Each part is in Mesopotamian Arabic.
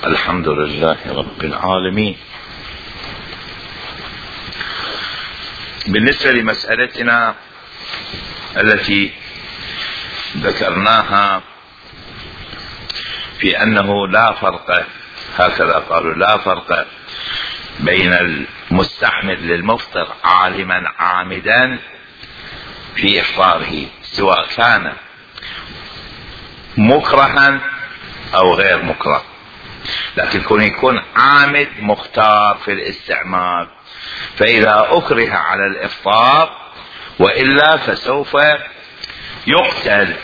الحمد لله رب العالمين. بالنسبة لمسألتنا التي ذكرناها في أنه لا فرق، هكذا قالوا، لا فرق بين المستحمل للمفطر عالما عامدا في إفطاره سواء كان مكرها أو غير مكره، لكن يكون عامد مختار في الاستعمال، فإذا أكره على الإفطار وإلا فسوف يقتل،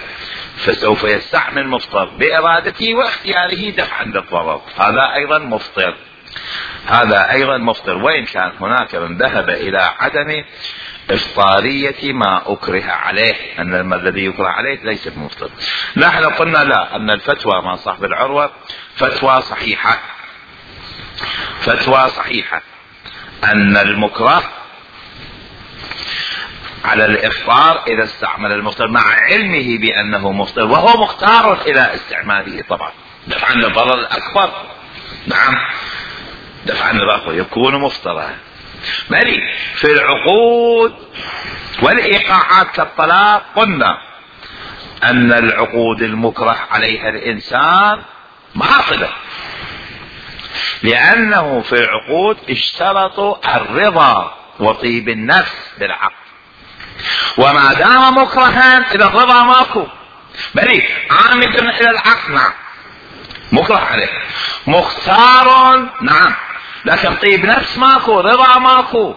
فسوف يستحمل مفطر بإرادته واختياره دفعا للضرر، هذا أيضا مفطر، وإن كان هناك من ذهب إلى عدم إفطارية ما أكره عليه، أن الذي يكره عليه ليس بمفطر. نحن قلنا لا، أن الفتوى مع صاحب العروة فتوى صحيحة أن المكره على الإفطار إذا استعمل المفطر مع علمه بأنه مفطر، وهو مختار إلى استعماله طبعا دفعا للضرر الأكبر. نعم، دفعا للضرر يكون مفطرا. مالي في العقود والإيقاعات كالطلاق قلنا أن العقود المكره عليها الإنسان باطلة، لأنه في العقود اشترطوا الرضا وطيب النفس بالعقد، وما دام مكرها إذا الرضا ماكو، بل عامد إلى العقد نعم مكره عليه، مختار نعم، لكن طيب نفس ماكو، رضا ماكو.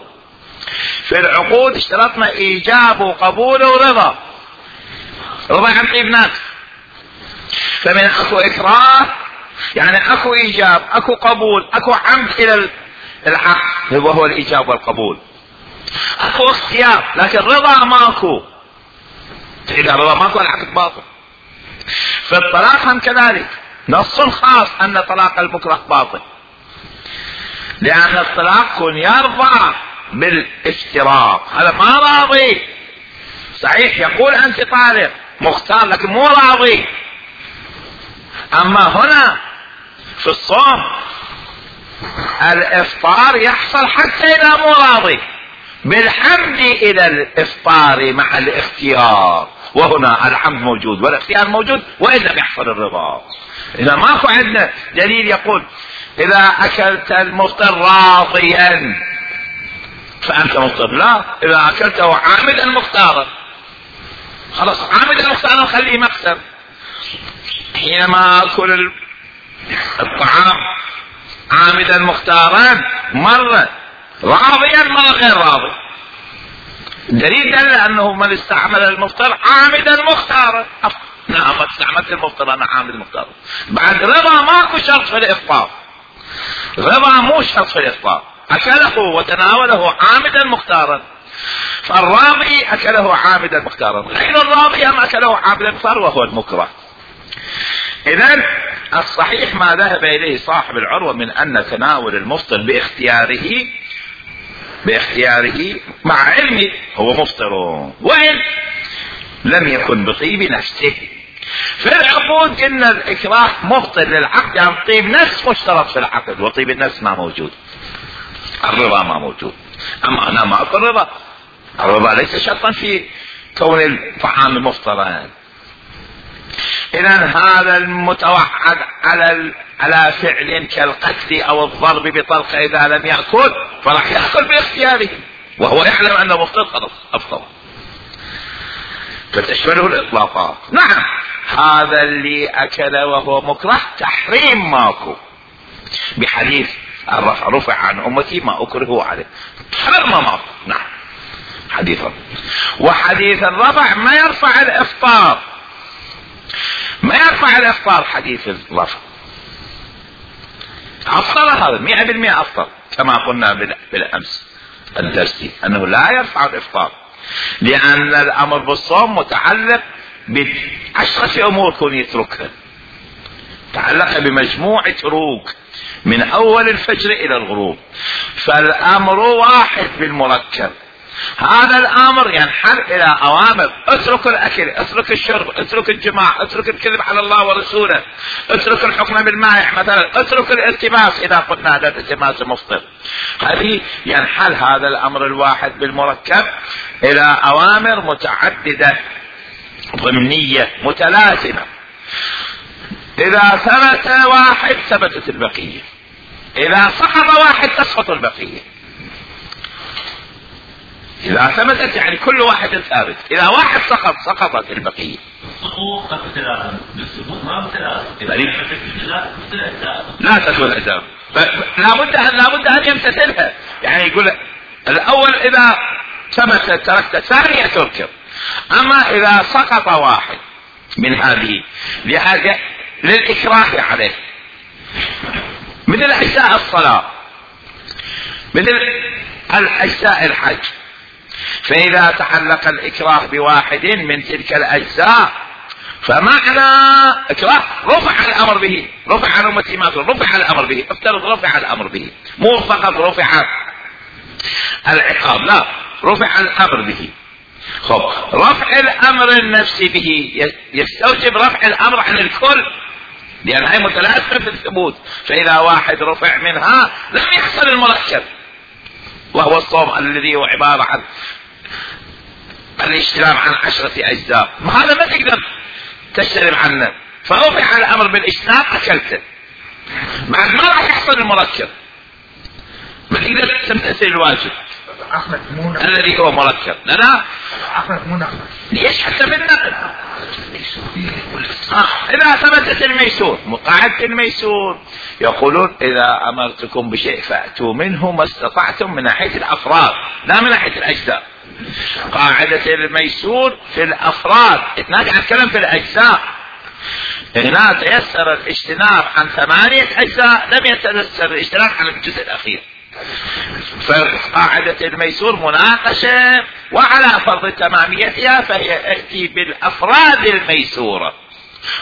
في العقود اشترطنا إيجاب وقبول ورضا، رضا عن طيب نفس، فمن أكو إكراه يعني أكو إيجاب، أكو قبول، أكو عمد إلى العقد وهو الإيجاب والقبول، أكو اختيار، لكن رضا ماكو. إذا رضا ماكو العقد باطل. في الطلاق هم كذلك نص خاص أن طلاق المكره باطل، لأن الطلاق كن يرضى بالافتراق، هذا ما راضي، صحيح يقول أنت طالق مختار لكن مو راضي. أما هنا في الصوم الإفطار يحصل حتى إذا مو راضي بالحمد إلى الإفطار مع الاختيار، وهنا الحمد موجود والاختيار موجود، وإذا بيحصل الرضا. إذا ماكو عندنا دليل يقول إذا أكلت المفطر راضيا فأنت مفطر، لا، إذا أكلته عامدا مختارا خلاص، عامدا مختارا خليه مختار. حينما أكل الطعام عامدا مختارا مرة راضيا مرة غير راضي، دليل دل أنه من استعمل المفطر عامدا مختارا. نعم استعملت المفطر أنا عامد مختارا، بعد رضا ماكو شرط في الإفطار، رضا مو شرط في الإفطار، أكله وتناوله عامدا مختارا، فالراضي أكله عامدا مختارا، غير الراضي هم أكله عامدا مختارا وهو المكره. إذن الصحيح ما ذهب إليه صاحب العروة من أن تناول المفطر باختياره مع علمه هو مفطر، وإن لم يكن بطيب نفسه. في العقود إن الإكراه مفطر للعقد، يعني طيب نفس مشترط في العقد، وطيب النفس ما موجود، الرضا ما موجود. أما أنا ما أقول الرضا ليس شرطا في كون الطعام مفطرا. إذن هذا المتوعد على فعل كالقتل أو الضرب بطلق إذا لم يأكل فراح يأكل باختياره وهو يعلم أنه مفطر، خلاص أفطر، فتشمله الإطلاقات. نعم هذا اللي أكل وهو مكره تحريم ماكو، بحديث الرفع رفع عن أمتي ما أكره عليه، حرم ماكو. نعم حديثا، وحديث الرفع ما يرفع الإفطار، ما يرفع الإفطار حديث الرفع، أفطر هذا 100% أفطر، كما قلنا بالأمس الدرسي أنه لا يرفع الإفطار، لأن الأمر بالصوم متعلق بعشرة أمور كون يتركها، تعلق بمجموعة تروك من أول الفجر إلى الغروب، فالأمر واحد بالمركب، هذا الامر ينحل الى اوامر: اترك الاكل، اترك الشرب، اترك الجماع، اترك الكذب على الله ورسوله، اترك الحكم بالمائع مثلا، اترك الالتماس اذا قلنا هذا الالتماس مفطر. هذه ينحل هذا الامر الواحد بالمركب الى اوامر متعددة ضمنية متلازمة. اذا ثبت واحد ثبتت البقية، اذا سقط واحد تسقط البقية. اذا ثبتت يعني كل واحد ثابت، اذا واحد سقط سقطت البقية. لا تكون اجزاء، لابد ان يمتثلها. يعني يقول الاول اذا ثبتت تركت، الثانية تركب. اما اذا سقط واحد من هذه لحاجة للإكراه عليه، مثل أجزاء الصلاة، مثل الأجزاء الحج، فإذا تعلق الإكراه بواحد من تلك الأجزاء فمعنى إكراه رفع الأمر به، رفع عن أمتي ما رفع الأمر به. افترض رفع الأمر به، مو فقط رفع العقاب، لا، رفع الأمر به. خب، رفع الأمر النفسي به يستوجب رفع الأمر عن الكل، لأن هي متلازمة في الثبوت. فإذا واحد رفع منها لم يحصل المركب، وهو الصوم الذي هو عبارة عن الاجتناب عن 10 أجزاء. هذا ما تقدر تجتنب عنه، فرفع الأمر بالاجتناب أكلته، بعد ما راح يحصل المركب، ما تقدر تمتثل الواجب الذي هو مركب. لا ليش؟ حتى في النقل إذا ثبتت الميسور، قاعدة الميسور يقولون إذا أمرتكم بشيء فأتوا منه ما استطعتم، من ناحية الأفراد لا من ناحية الأجزاء. قاعدة الميسور في الأفراد، اتناقع الكلام في الأجزاء. هنا تيسر الاجتناب عن 8 أجزاء، لم يتيسر الاجتناب عن الجزء الأخير. فقاعدة الميسور مناقشة، وعلى فرض تماميتها فهي اتي بالافراد الميسورة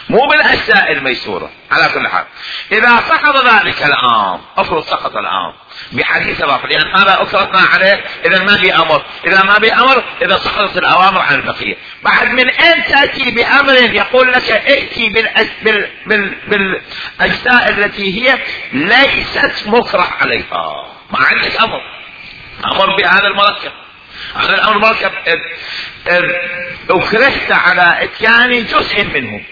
مو بالاجزاء الميسورة. على كل حال اذا سقط ذلك الامر، افرض سقط الامر بحديث الرفع، لان هذا اكرهنا عليه، اذا ما بي امر، اذا ما بي امر، اذا سقطت الاوامر عن البقية. بعد من اين تاتي بامر يقول لك ائتي بالاجزاء التي هي ليست مكره عليها؟ ما عندك امر بهذا المركب، هذا الامر مركب اكرهت على اتيان جزء منه،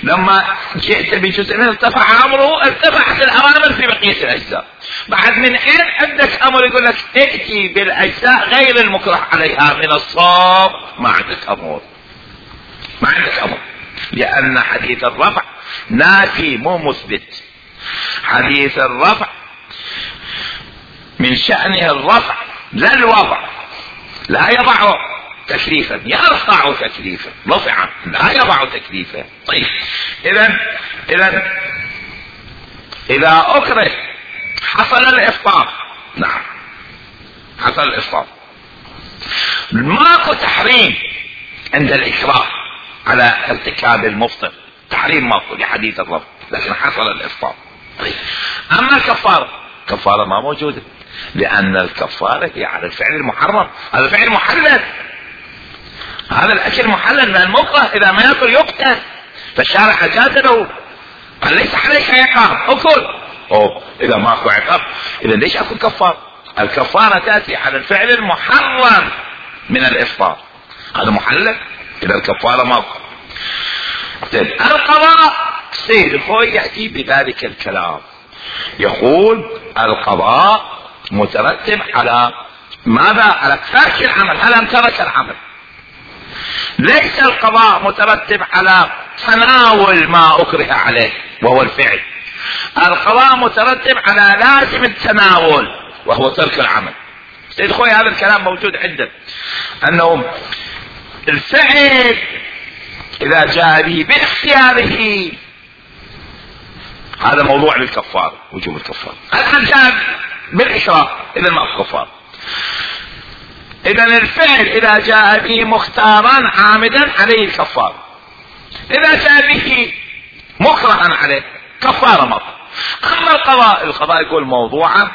لما جئت بجزء منه ارتفع امره، ارتفعت الاوامر في بقية الاجزاء. بعد من اين عندك امر يقول لك ائتي بالاجزاء غير المكره عليها من الصوم؟ ما عندك امر، ما عندك امر، لان حديث الرفع نافي مو مثبت. حديث الرفع من شأنه الرفع لا الوضع، لا يضع تكليفا، يرفع تكليفا، رفع لا يضع تكليفا. طيب إذا أكره حصل الإفطار، نعم حصل الإفطار، ماكو تحريم عند الإكراه على ارتكاب المفطر، تحريم ماكو لحديث الرفع، لكن حصل الإفطار. طيب أما كفارة ما موجودة، لأن الكفارة هي على الفعل المحرم، هذا فعل محلل، هذا الأكل محلل، لأن المكره إذا ما يأكل يقتل، فالشارع أجاز له، قال ليس عليك عقاب، أكل. إذا ما أكو عقاب إذا ليش أكو كفارة؟ الكفارة تأتي على الفعل المحرم من الإفطار، هذا محلل، إذا الكفارة ما أكو. القضاء سيد الخوي يأتي بذلك الكلام، يقول القضاء مترتب على ماذا؟ على ترك العمل، هل ترك العمل. ليس القضاء مترتب على تناول ما أكره عليه وهو الفعل، القضاء مترتب على لازم التناول وهو ترك العمل. سيد خوي هذا الكلام موجود عندك، أنه الفعل إذا جاء به باختياره هذا موضوع للكفار، وجوب الكفار. الآن جاء بالإكراه إذا ما في كفار. إذا الفعل إذا جاء به مختارا عامدا عليه الكفار، إذا جاء به مكرها عليه كفارة مرة. أما القضاء يقول موضوعا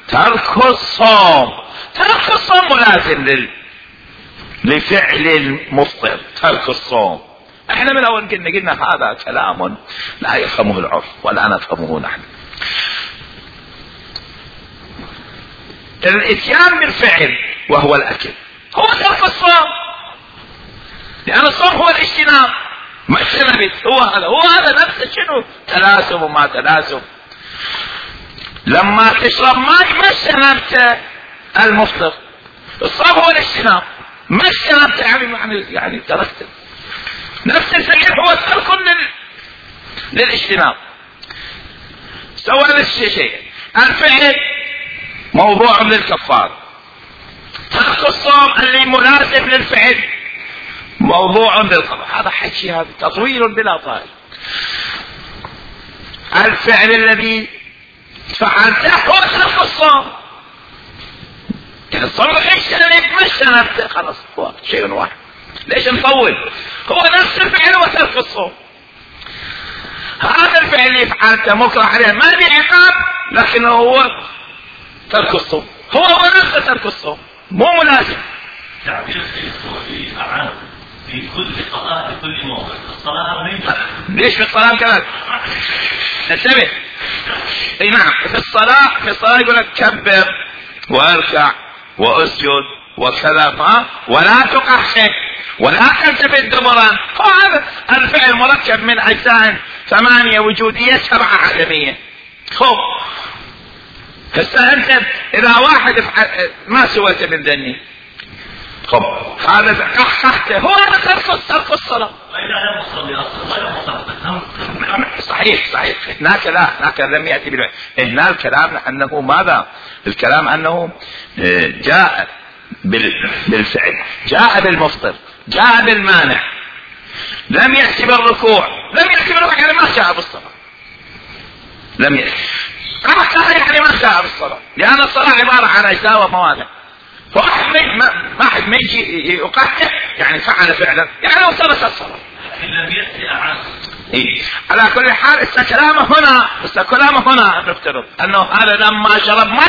ترك الصوم، ترك الصوم ملازم لفعل المفطر ترك الصوم. احنا من اول قلنا هذا كلام لا يفهمه العرف ولا نفهمه نحن. الاتيان بالفعل وهو الاكل هو ترك الصوم، لان الصوم هو الاجتناب، ما اجتنبت هو هذا نفسه. شنو تلاسم وما تلاسم؟ لما تشرب ماء ما اجتنبت المفطر، الصوم هو الاجتناب، ما اجتنبت يعني تركت. نفس الفعل هو ترك للاجتناب. سوى نفس الشيء. الفعل موضوع للكفار، ترك الصوم اللي مناسب للفعل موضوع للقضاء. هذا حكي، هذا تطويل بلا طائل. الفعل الذي فعلته هو ترك الصوم، يعني الصوم اجتنبت ما اجتنبت خلاص هو شيء واحد. ليش نطول؟ هو نفس الفعل وترك الصوم. هذا الفعل اللي فعلته مكره عليه ما بعقاب، لكنه هو ترك الصوم، هو نفسه ترك الصوم، مو مناسب. تعبير السيد أعاد في كل قضاء في كل موضع. الصلاة ما ينفع. ليش في الصلاة كذا؟ انتبه. اي نعم، في الصلاة يقول لك كبر واركع واسجد وكذا، ولا تقحق ولا تلتفت دبرا. هذا الفعل مركب من اجزاء 8 وجودية 7 عدمية. خب هسه انت اذا واحد ما سويت من ذني، خب هذا قحقته هو هذا ترك الصلاة. صحيح. هناك لم يأتي بالفعل. هنا الكلام انه ماذا؟ الكلام انه جاء بالفعل، جاء بالمفطر، جاء بالمانع، لم يأتي بالركوع. يعني ما جاء بالصلاة. لم يأتي يعني ما جاء بالصلاة، لأن الصلاة عبارة عن أجزاء وموانع. واحد ما يجي يقحق يعني فعل فعلا، يعني لو ترك الصلاة. لم يأتي أعاد. على كل حال كلامه هنا نفترض انه هذا لما شرب ما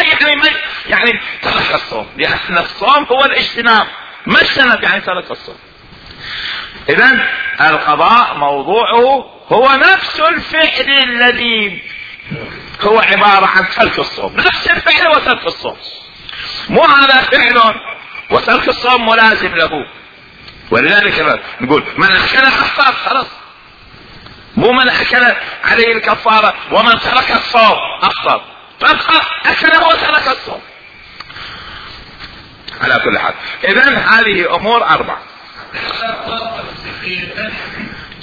يعني ترك الصوم، لان الصوم هو الاجتناب، ما اجتنب يعني ترك الصوم. اذن القضاء موضوعه هو نفس الفعل الذي هو عبارة عن ترك الصوم، نفس الفعل وترك الصوم، مو هذا فعل وترك الصوم ملازم له. ولذلك نقول من اكل افطر خلاص، مو من اكل عليه الكفارة ومن ترك الصوم افطر، اكل وترك الصوم. على كل حال اذن هذه امور 4.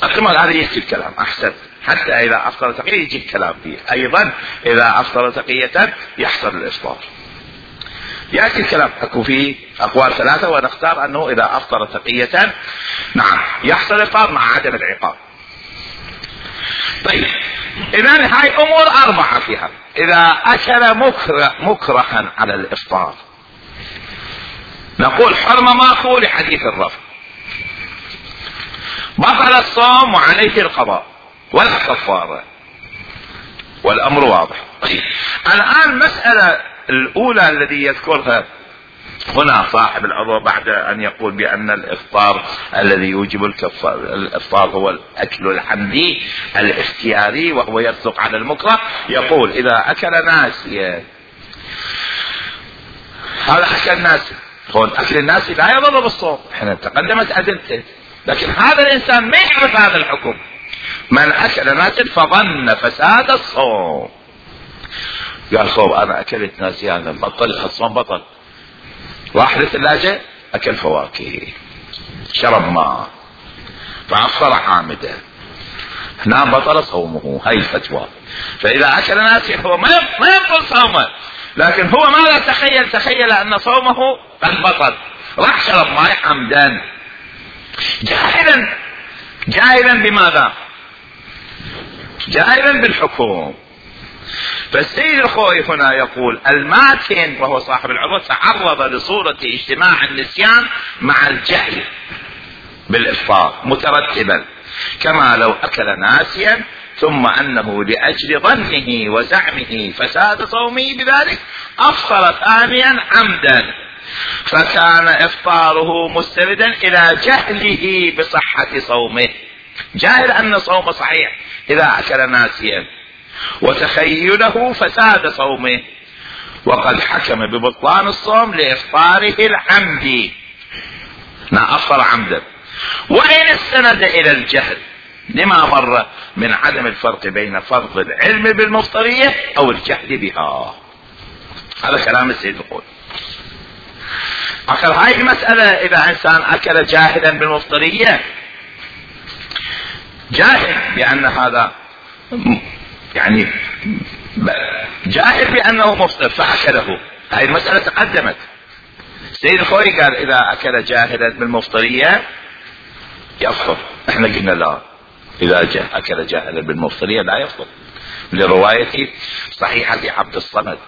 اكمل هذا يجي الكلام احسن، حتى اذا افطر تقية يجي الكلام فيه ايضا. اذا افطر تقية يحصل الافطار، يأتي الكلام اكو فيه اقوال 3 ونختار انه اذا افطر تقية نعم يحصل الافطار مع عدم العقاب. طيب اذن هاي امور 4 فيها. اذا اكل مكرها على الافطار نقول حرم ماكو لحديث الرفع، بطل الصوم وعليه القضاء ولا كفارة، والامر واضح. طيب الان المسألة الاولى الذي يذكرها هنا صاحب العروة بعد ان يقول بان الافطار الذي يوجب الافطار هو الاكل الحمدي الاختياري وهو يصدق على المكره، يقول اذا اكل ناسيا، هذا اكل ناسي، اكل الناسي لا يضر بالصوم، احنا تقدمت ادلته، لكن هذا الانسان ما يعرف هذا الحكم. من اكل ناسيا فظن فساد الصوم، قال صوم انا اكلت ناسيا بطل الصوم، بطل، راح للثلاجة اكل فواكه، شرب ماء، فافطر عامدا، هنا بطل صومه. هاي الفتوى. فاذا اكل ناسيا هو ما يبطل صومه، لكن هو ماذا تخيل ان صومه قد بطل، راح شرب ماء عمدا جاهلا بماذا؟ جاهلا بالحكم. فالسيد الخوي هنا يقول الماتن وهو صاحب العروة تعرض لصورة اجتماع النسيان مع الجهل بالإفطار مترتبا، كما لو أكل ناسيا ثم أنه لأجل ظنه وزعمه فساد صومه بذلك أفطر ثانيا عمدا، فكان افطاره مستندا الى جهله بصحة صومه، جاهل ان صومه صحيح اذا اكل ناسيا، وتخيله فساد صومه، وقد حكم ببطلان الصوم لافطاره العمدي، افطر عمدا، وان استند الى الجهل لما مر من عدم الفرق بين فرض العلم بالمفطرية او الجهل بها. هذا كلام السيد الخوئي. اخر هاي المسألة، اذا انسان اكل جاهلا بالمفطرية، جاهل بان هذا يعني جاهل بانه مفطر فاكله، هاي المسألة تقدمت. السيد الخوئي قال اذا اكل جاهلا بالمفطرية يفطر، احنا قلنا لا، اذا اكل جاهلا بالمفطرية لا يفطر، لرواية صحيحة عبد الصمد: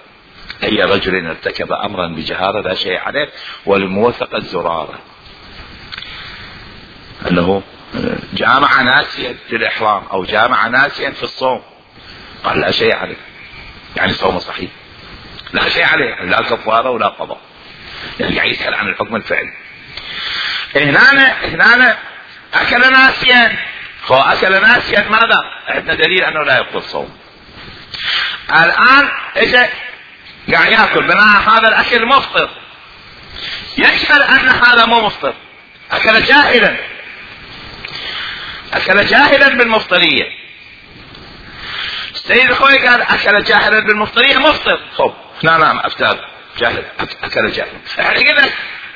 اي رجل ارتكب امرا بجهارة لا شيء عليه ولموثق الزرارة، انه جامع ناسيا في الاحرام او جامع ناسيا في الصوم، قال لا شيء عليه، يعني صومه صحيح، لا شيء عليه، لا كفارة ولا قضاء، يعني قاعد يسأل عن الحكم الفعلي. هنا اكل ناسيا، هو اكل ناسيا ماذا؟ عندنا دليل انه لا يبطل صوم. الان اجى قاعد ياكل، بناء هذا الاكل مفطر، يشهد ان هذا مو مفطر، اكل جاهلا بالمفطرية. السيد الخوئي قال اكل جاهلا بالمفطرية مفطر. خب نعم افتاد جاهل، اكل جاهلا، احنا قلنا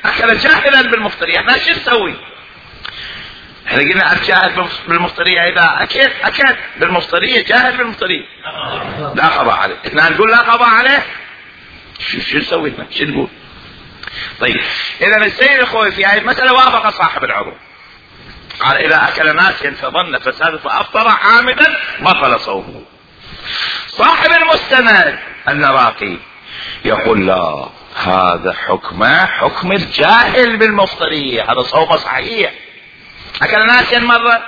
اكل جاهلا بالمفطرية، احنا شو نسوي؟ احنا قلنا الجاهل بالمفطرية اذا اكل بالمفطرية، جاهل بالمفطرية لا قضاء عليه، احنا نقول لا قضاء عليه، شو نسوي؟ شو نقول؟ طيب اذا السيد الخوئي في هذه المسألة وافق صاحب العروض، قال اذا اكل ناسيا فظن فساد فافطر عامدا بطل صومه. صاحب المستند النراقي يقول لا، هذا حكم الجاهل بالمفطرية، هذا صومه صحيح، اكل ناسيا مرة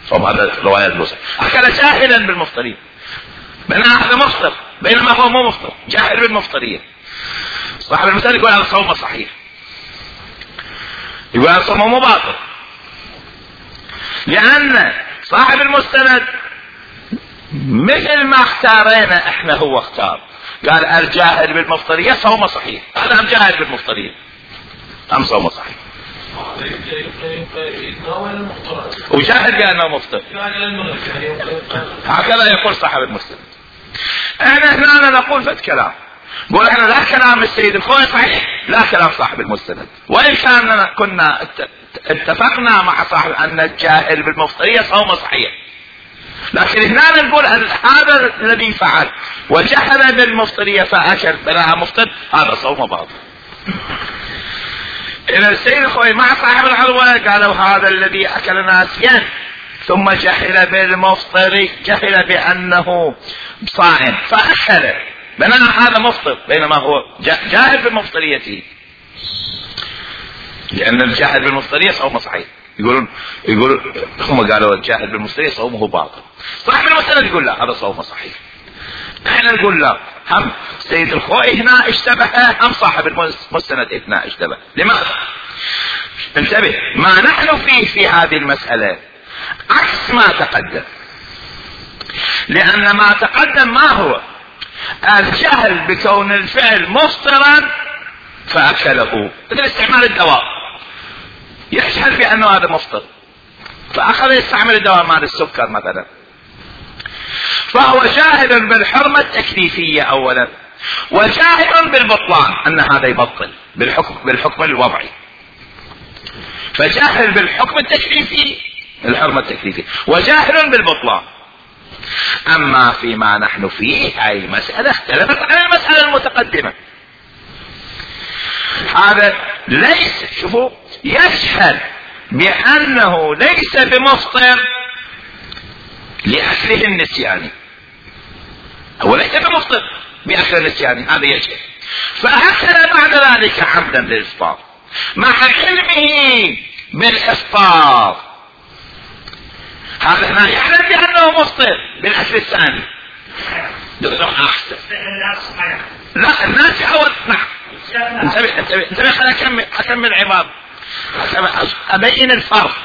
صوم، هذا رواية مسلم، اكل جاهلا بالمفطرية، بينما هذا مفطر بينما هو مو مفطر، جاهل بالمفطرية. صاحب المستند يقول هذا صومه صحيح، يقول هذا صومه مو باطل، لان صاحب المستند مثل ما اختارينا احنا هو اختار، قال الجاهل بالمفطرية صومه صحيح، هذا جاهل بالمفطرية ام صومه صحيح، وجاهل بانه مفطر، هكذا يقول صاحب المستند. احنا هنا نقول فد كلام، نقول احنا لا كلام السيد الخوئي صحيح، لا كلام صاحب المستند، وان كان كنا اتفقنا مع صاحب ان الجاهل بالمفطرية صومه صحيح، لكن هنا نقول هذا الذي فعل وجهل بالمفطرية فاكل بلا مفطر، هذا صومه باطل. إذا السيد الخوئي مع صاحب العروة قالوا هذا الذي أكل ناسيا ثم جهل بالمفطر، جهل بأنه صائم فأكل، بينما هذا مفطر، بينما هو جاهل بالمفطريته، لأن الجاهل بالمفطرية صومه صحيح. يقولون هم قالوا الجاهل بالمفطرية صومه باطل، صاحب المستند يقول لا، هذا صومه صحيح. احنا نقول لا، هم سيد الخوئي هنا اشتبه، هم صاحب المستند هنا اشتبه. لماذا؟ انتبه، ما نحن فيه في هذه المسألة عكس ما تقدم، لأن ما تقدم ما هو الجهل بكون الفعل مفطرا فأكله، مثل استعمال الدواء، يجهل بأنه هذا مفطر فأخذ يستعمل الدواء مال السكر مثلا، فهو جاهل بالحرمة التكليفية اولا، وجاهل بالبطلان ان هذا يبطل بالحكم الوضعي، فجاهل بالحكم التكليفي الحرمة التكليفية، وجاهل بالبطلان. اما فيما نحن فيه هاي مسألة اختلفت عن المسألة المتقدمة، هذا ليس، شوفوا، يشهد بانه ليس بمفطر لأكله النسياني، هو ليس بمفطر بأكل النسياني، هذا يشهد، فأكل بعد ذلك عمدا للإفطار مع علمه بالإفطار، هذا هنا يعلم بأنه مفطر بالأكل الثاني. أحسن، لا الناس أول، نعم انتبه خليني اكمل عبارة ابين الفرق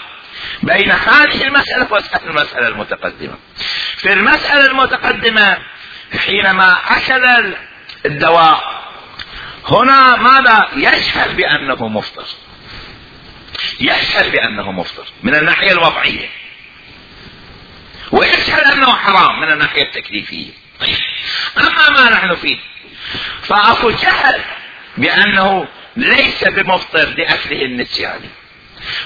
بين هذه المسألة والمسألة المتقدمة. في المسألة المتقدمة حينما اكل الدواء هنا ماذا؟ يشهد بانه مفطر، يشهد بانه مفطر من الناحية الوضعية، ويشهد انه حرام من الناحية التكليفية. اما ما نحن فيه فاكو جهل بانه ليس بمفطر لاكله النسياني،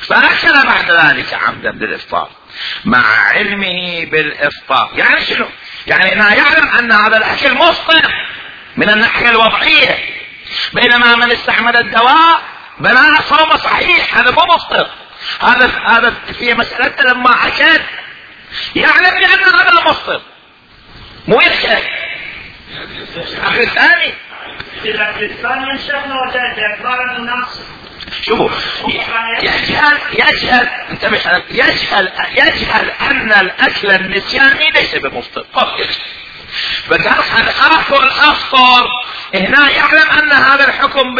فاكل بعد ذلك عمدا بالافطار مع علمه بالافطار. يعني شنو؟ يعني انه يعلم ان هذا الاكل مفطر من الناحية الوضعية، بينما من استعمل الدواء بناء صوم صحيح، هذا مو مفطر. هذا في مسألة لما اكل يعلم بان هذا مفطر، مو يشهد. الاكل الثاني الاكل الثاني ينشأنا باعتبار الناس. شوفوا يجهل ان الاكل النسياني ليس بمفطر. فقال اخر افطر هنا يعلم ان هذا الحكم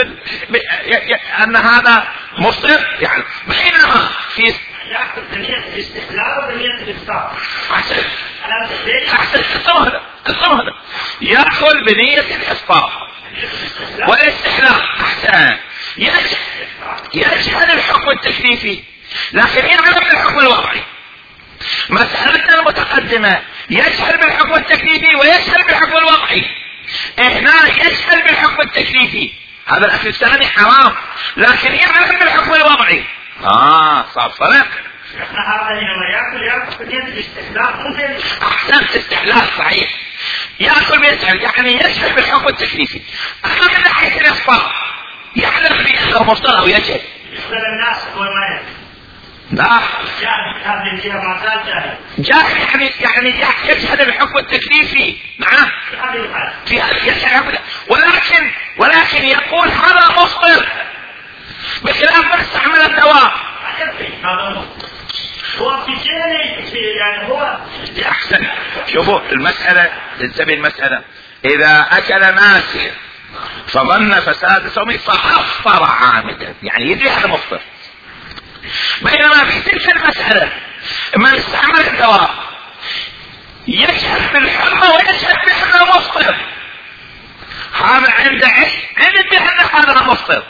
ان هذا مفطر، يعني بينما في يأخذ بنية الاستحلال وبنية الإفطار. أحسن هذا يأخذ بنية الإفطار والاستحلال. أحسن يجهل الحكم التكليفي لكن يعلم الحكم الوضعي. مسألتنا المتقدمة يجهل بالحكم التكليفي ويجهل بالحكم الوضعي، هنا يجهل بالحكم التكليفي، هذا الأكل الثاني حرام لكن يعلم بالحكم الوضعي. صار فرق. هذا لما يأكل بنية الاستحلال. أحسنت، استحلال صحيح، يأكل بيسأل يعني يجهل بالحكم التكليفي. أما من ناحية الإفطار يعلم بأنه مفطر أو يجهل. يسأل الناس هو ما يجهل. لا جاهل، هذه الجهة ما زال جاهل. يعني يجهل الحكم التكليفي. نعم في هذا ولكن يقول هذا مفطر بخلاف من استعمل الدواء. هو في يعني هو احسن. شوفوا المسألة، تنتبه المسألة، اذا اكل ناسيا فظن فساد صومه فافطر عامدا، يعني يدري هذا مفطر. بينما في تلك المسألة من استعمل الدواء يشهد بالحرمة ويشهد بأنه مفطر، هذا عنده بأن هذا مفطر،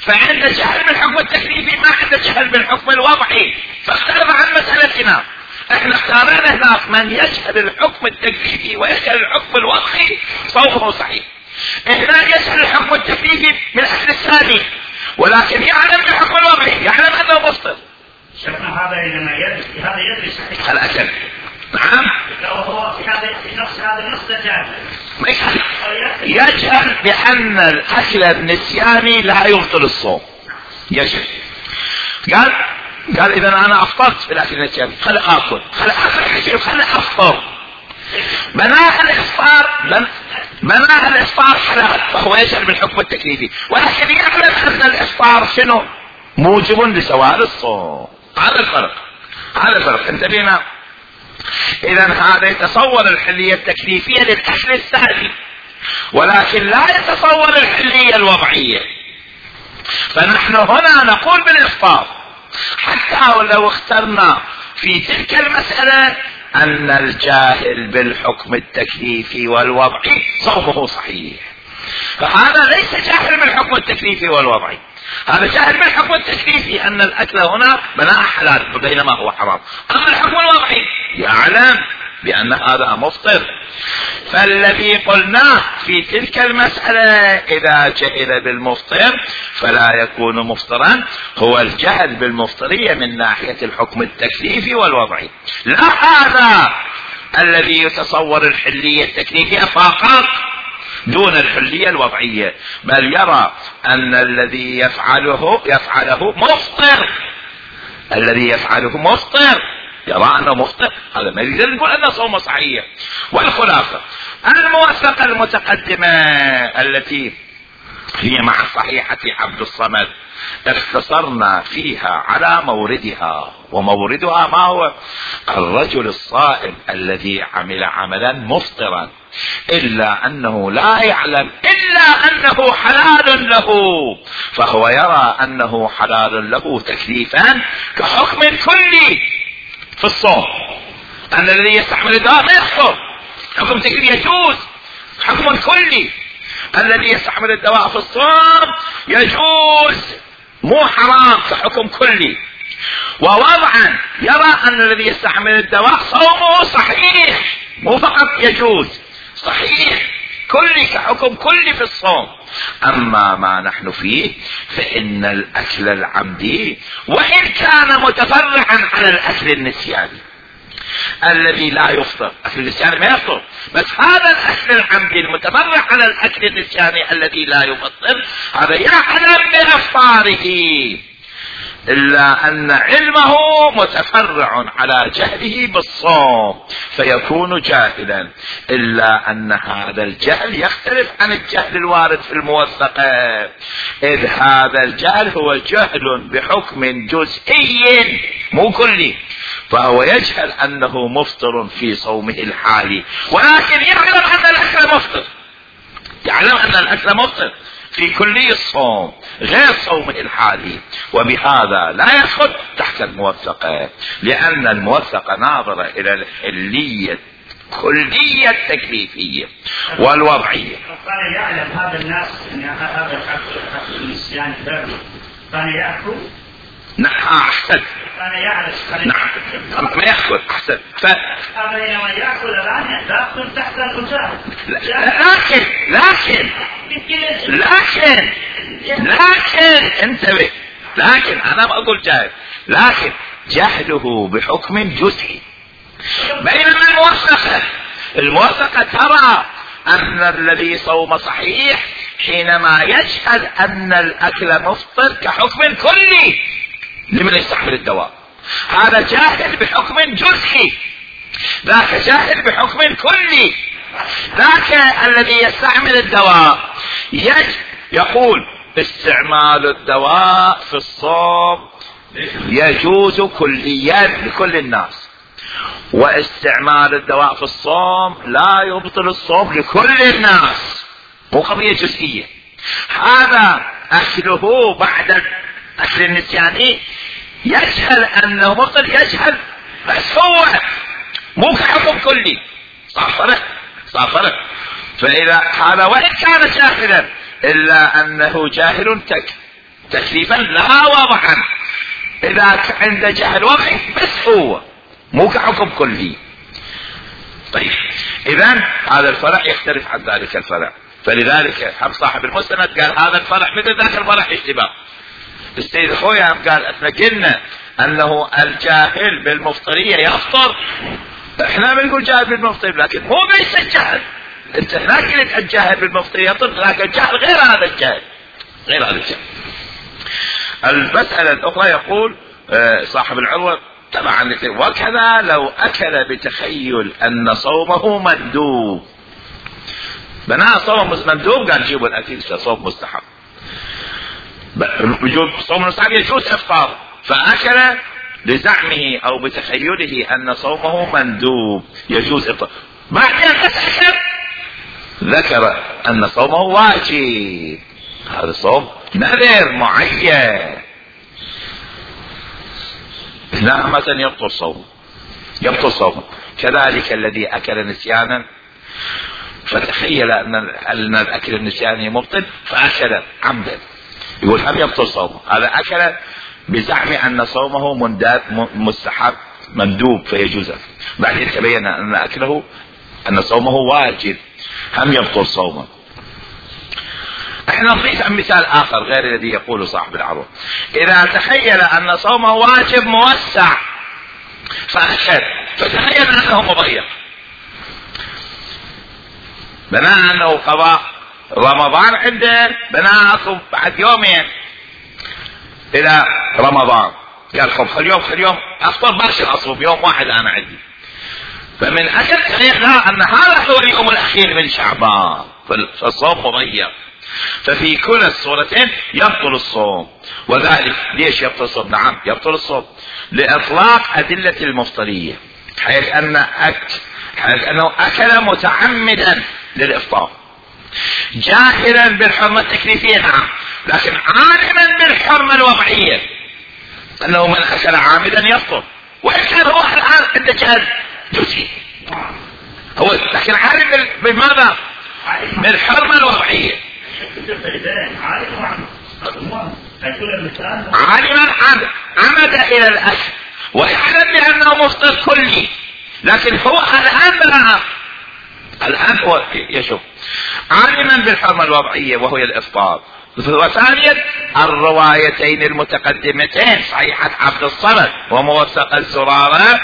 فعنده جهل بالحكم التكليفي ما عنده جهل بالحكم الوضعي، فاختلف عن مسألتنا. احنا اختارنا هناك من يجهل الحكم التكليفي ويجهل الحكم الوضعي صومه صحيح. هنا يجهل الحكم التكليفي من اهل الثاني ولكن يعلم بالحكم الوضعي، يعلم انه مفطر. شفنا هذا لما يدري، هذا يدري صحيح الاكل. نعم هو في نفس هذا النص يجهل بان الاكل النسياني لا يبطل الصوم. يجهل. قال اذا انا افطرت بالاكل النسياني خلي اكل خلي افطر. بناء الافطار حلال، فهو يجهل بالحكم التكليفي ولكن يعلم ان الافطار شنو؟ موجب لزوال الصوم. هذا الفرق. انتبهنا. اذا هذا يتصور الحلية التكليفية للاكل الثاني ولكن لا يتصور الحلية الوضعية. فنحن هنا نقول بالافطار حتى ولو اخترنا في تلك المسألة ان الجاهل بالحكم التكليفي والوضعي صومه صحيح. فهذا ليس جاهل بالحكم التكليفي والوضعي، هذا جاهل بالحكم التكليفي ان الاكل هنا بناء حلال بينما هو حرام. اما الحكم الوضعي يعلم بان هذا مفطر. فالذي قلناه في تلك المسألة اذا جهل بالمفطر فلا يكون مفطرا هو الجهل بالمفطرية من ناحية الحكم التكليفي والوضعي، لا هذا الذي يتصور الحلية التكليفية فقط دون الحلية الوضعية، بل يرى ان الذي يفعله مفطر. الذي يفعله مفطر، يرى انه مفطر، هذا ما يريد نقول انه صوم صحيح. والخلاصة الموثقة المتقدمة التي هي مع صحيحة عبد الصمد اختصرنا فيها على موردها، وموردها ما هو؟ الرجل الصائم الذي عمل عملا مفطرا إلا أنه لا يعلم إلا أنه حلال له، فهو يرى أنه حلال له تكليفا كحكم كلي في الصوم، أن الذي يستحمل الدواء ما يفطر، حكم تكليفي يجوز حكم كلي. الذي يستحمل الدواء في الصوم يجوز مو حرام كحكم كلي. ووضعا يرى أن الذي يستحمل الدواء صومه صحيح، مو فقط يجوز، صحيح كلي كحكم كلي في الصوم. أما ما نحن فيه فإن الأكل العمدي وإن كان متفرعا على الأكل النسياني الذي لا يفطر، أكل النسياني ما يفطر، بس هذا الأكل العمدي المتفرع على الأكل النسياني الذي لا يفطر هذا يعلم بإفطاره، إلا أن علمه متفرع على جهله بالصوم فيكون جاهلا، إلا أن هذا الجهل يختلف عن الجهل الوارد في الموثقة، إذ هذا الجهل هو جهل بحكم جزئي مو كلي، فهو يجهل أنه مفطر في صومه الحالي، ولكن يعلم أن الأكل مفطر، يعلم أن الأكل مفطر في كلي الصوم غير صومه الحالي، وبهذا لا يدخل تحت الموثقة، لأن الموثقة ناظرة إلى الحلية الكلية التكليفية والوضعية. كان يعلم هذا الناس أن هذا الأكل النسيان كان يأكل. نعم أحسن. كان يعلم. نعم ما يأكل أحسن. هذا لما يأكل الآن يأكل تحت المجاهد. لكن انتبه، لكن أنا ما أقول جاهل، لكن جهله بحكم جزئي. بينما الموثقة ترى أن الذي صوم صحيح حينما يشهد أن الأكل مفطر كحكم كلي لمن يستحمل الدواء، هذا جاهل بحكم جزئي، ذاك جاهل بحكم كلي. ذاك الذي يستعمل الدواء يقول استعمال الدواء في الصوم يجوز كليا لكل الناس، واستعمال الدواء في الصوم لا يبطل الصوم لكل الناس، مو قضية جزئية. هذا أكله بعد أكل النسياني يجهل أنه مبطل، يجهل بس هو مو كحكم كلي، صار فرق. فإذا هذا وإن كان جاهلا إلا أنه جاهل تكليفا لا وضعا، إذا عنده جهل وضعي بس هو مو كحكم كلي. طيب إذن هذا الفرع يختلف عن ذلك الفرع، فلذلك صاحب المستند قال هذا الفرع مثل ذاك الفرع اشتباه. السيد خويا قال احنا قلنا انه الجاهل بالمفطرية يفطر، احنا بنقول جاهل بالمفطرية لكن مو بس الجهل، انت هناك قلت الجاهل بالمفطرية يفطر، لكن الجهل غير هذا الجهل، غير هذا الجهل. المسألة الأخرى يقول صاحب العروة طبعا وكذا لو أكل بتخيل أن صومه مندوب، بناء صوم مندوب قال جيبوا الأكل صوم مستحب، وجود صوم مستحب يجوز إفطار، فأكل لزعمه أو بتخيله أن صومه مندوب يجوز إفطار، بعدين أتأكد ذكر أن صومه واجب، هذا صوم نذر معين، لا مثلا يبطل صومه. كذلك الذي أكل نسيانا فتخيل أن الأكل النسياني مبطل فأكل عمدا، يقول هم يبطل صومه، هذا أكل بزعم أن صومه مستحب مندوب فيجوز، بعدين تبين أن صومه واجب هم يبطل صومه. احنا نضيف مثال آخر غير الذي يقوله صاحب العروة، إذا تخيل أن صومه واجب موسع فأكل فتخيل أنه مضيق، بناء أنه قضاء رمضان عنده بناء بعد يومين إلى رمضان، قال خل يوم أفطر باكر أصوم يوم واحد أنا عندي، فمن أكل تخيلنا أن هذا هو اليوم الأخير من شعبان فالصوم مضيق، ففي كل الصورتين يبطل الصوم. وذلك ليش يبطل الصوم؟ نعم يبطل الصوم لإطلاق أدلة المفطرية، حيث أن حيث انه اكل متعمدا للافطار جاهلا بالحرمة التكليفية نعم، لكن عالما بالحرمة الوضعية، انه من اكل عامدا يفطر، وان كان هو الان عنده جهل جزئي هو، لكن عالم بماذا؟ بالحرمة الوضعية. عالما عمد الى الاكل ويعلم بانه مفطر كلي، لكن هو الان هو يشوف عالما بالحرمة الوضعية وهي الافطار. وثانيا الروايتين المتقدمتين صحيحة عبد الصمد وموثق الزرارة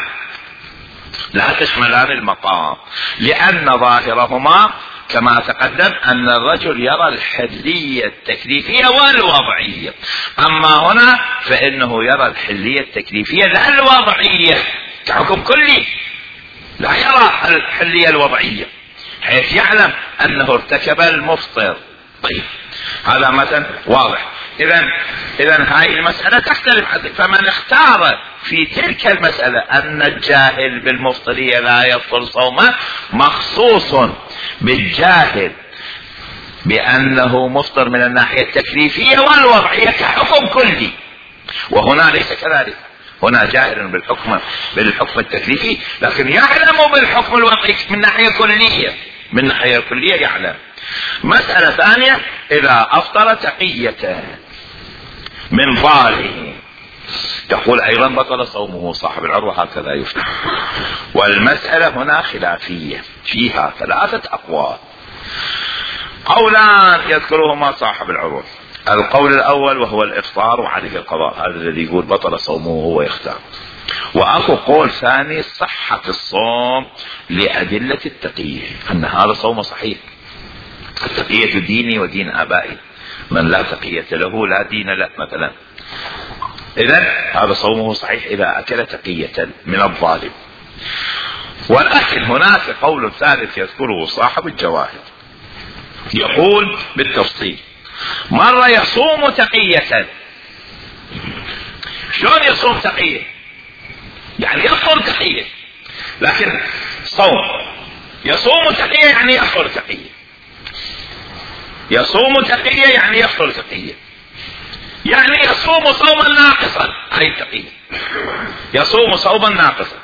لا تشملان المقام، لان ظاهرهما كما تقدم ان الرجل يرى الحلية التكليفية والوضعية، اما هنا فانه يرى الحلية التكليفية لا الوضعية كحكم كلي، لا يرى الحلية الوضعية حيث يعلم انه ارتكب المفطر. طيب هذا مثلا واضح. اذا هاي المسألة تختلف، فمن اختار في تلك المسألة ان الجاهل بالمفطرية لا يفطر صومه مخصوص بالجاهل بانه مفطر من الناحية التكليفية والوضعية كحكم كلي، وهنا ليس كذلك، هنا جاهل بالحكم التكليفي لكن يعلم بالحكم الوضعي من ناحية كلية، من ناحية كلية يعلم. مسألة ثانية اذا افطر تقية من ضاله تقول ايضا بطل صومه صاحب العروة، هكذا يفتح. والمسألة هنا خلافية فيها 3 اقوال، قولان يذكرهما صاحب العروة. القول الاول وهو الافطار وعليه القضاء، هذا الذي يقول بطل صومه هو يختار. واكو قول ثاني صحة الصوم لأدلة التقية، ان هذا صوم صحيح، التقية ديني ودين ابائي، من لا تقية له لا دين له مثلا، اذا هذا صومه صحيح اذا اكل تقية من الظالم. ولكن هناك قول ثالث يذكره صاحب الجواهر، يقول بالتفصيل مرة يصوم تقية. شلون يصوم تقية؟ يعني يفطر تقية، لكن صوم يصوم تقية يعني يفطر تقية، يصوم تقية يعني يفطر تقية، يعني يصوم صوما ناقصا، هاي التقية يصوم صوما ناقصا،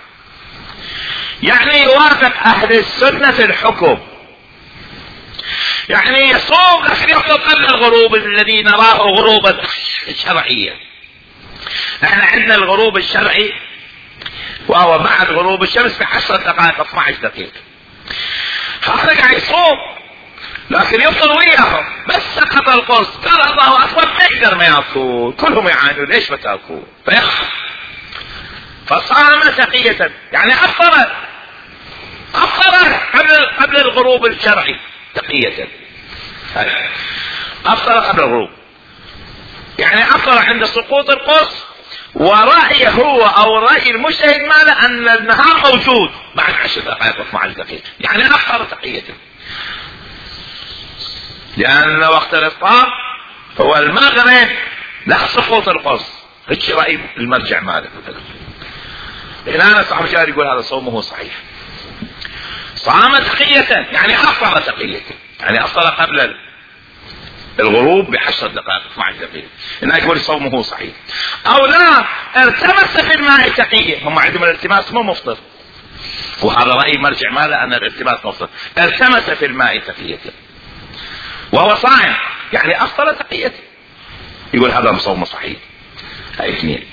يعني يوافق اهل السنة في الحكم، يعني يصوم لكن يفطر قبل الغروب الذي نراه غروبا شرعيا. احنا عندنا الغروب الشرعي وهو بعد غروب الشمس ب10 دقائق 12 دقيقة، هذا قاعد يصوم لكن يفطر وياهم، بس سقط القرص قال الله اكبر ما يقدر ما ياكل، كلهم يعانون ليش ما تاكل فيخاف، فصام تقية يعني افطر قبل الغروب الشرعي تقية، افطر قبل الغروب يعني افطر عند سقوط القرص، ورأيه هو او رأي المجتهد ماله ان النهار موجود بعد 10 دقائق 12 دقيقة، يعني افطر تقية، لان وقت الافطار هو المغرب لا سقوط القرص، هيك رأي المرجع ماله. هنا صاحب الشارع يقول هذا صومه صحيح، صام تقية يعني افطر تقية، يعني افطر قبل الغروب ب10 دقائق 12 دقيقة، هنا يقول صومه صحيح. او لا ارتمس في الماء تقية، هم عندهم الالتماس مو مفطر، وهذا رأي مرجع ماله ان الالتماس مفطر، ارتمس في الماء تقية وهو صائم يعني افطر تقية، يقول هذا صومه صحيح. هاي 2.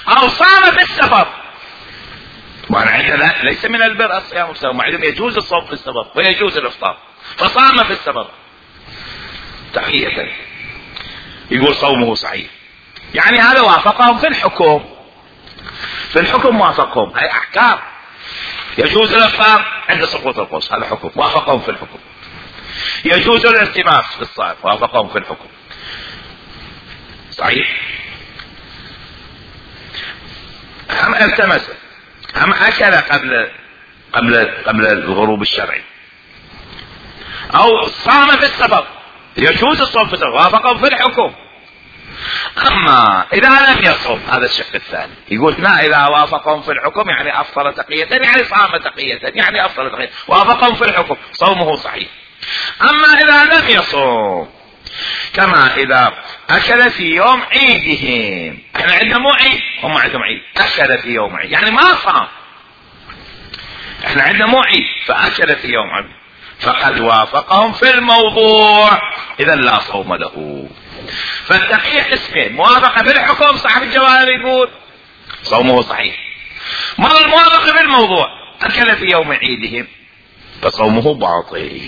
او صام في السفر، وانا عندنا ليس من البر الصيام في السفر، عندهم يجوز الصوم في السفر ويجوز الافطار، فصام في السفر تقية يقول صومه صحيح، يعني هذا وافقهم في الحكم، في الحكم وافقهم، هاي احكام، يجوز الافطار عند سقوط القرص هذا حكم وافقهم في الحكم، يجوز الالتماس في الصائم وافقهم في الحكم صحيح. هم التمس هم اكل قبل الغروب الشرعي، او صام في السفر يجوز الصوم في السفر وافقهم في الحكم، اما اذا لم يصوم هذا الشق الثاني، يقول لا اذا وافقهم في الحكم يعني افطر تقية، يعني صام تقية، يعني افطر تقية، وافقهم في الحكم صومه صحيح. اما اذا لم يصوم كما اذا اكل في يوم عيدهم، احنا عندنا مو عيد، هم عندهم عيد، اكل في يوم عيد يعني ما صام، احنا عندنا مو عيد فاكل في يوم عيد فقد وافقهم في الموضوع، اذا لا صوم له. فالتقية قسمين، موافقة في الحكم صاحب الجواب يقول صومه صحيح، مرة الموافقة في الموضوع اكل في يوم عيدهم فصومه باطل.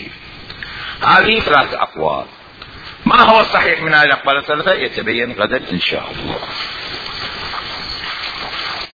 هذه 3 اقوال. ما هو الصحيح من هذه الاقوال الثلاثة يتبين غدا ان شاء الله.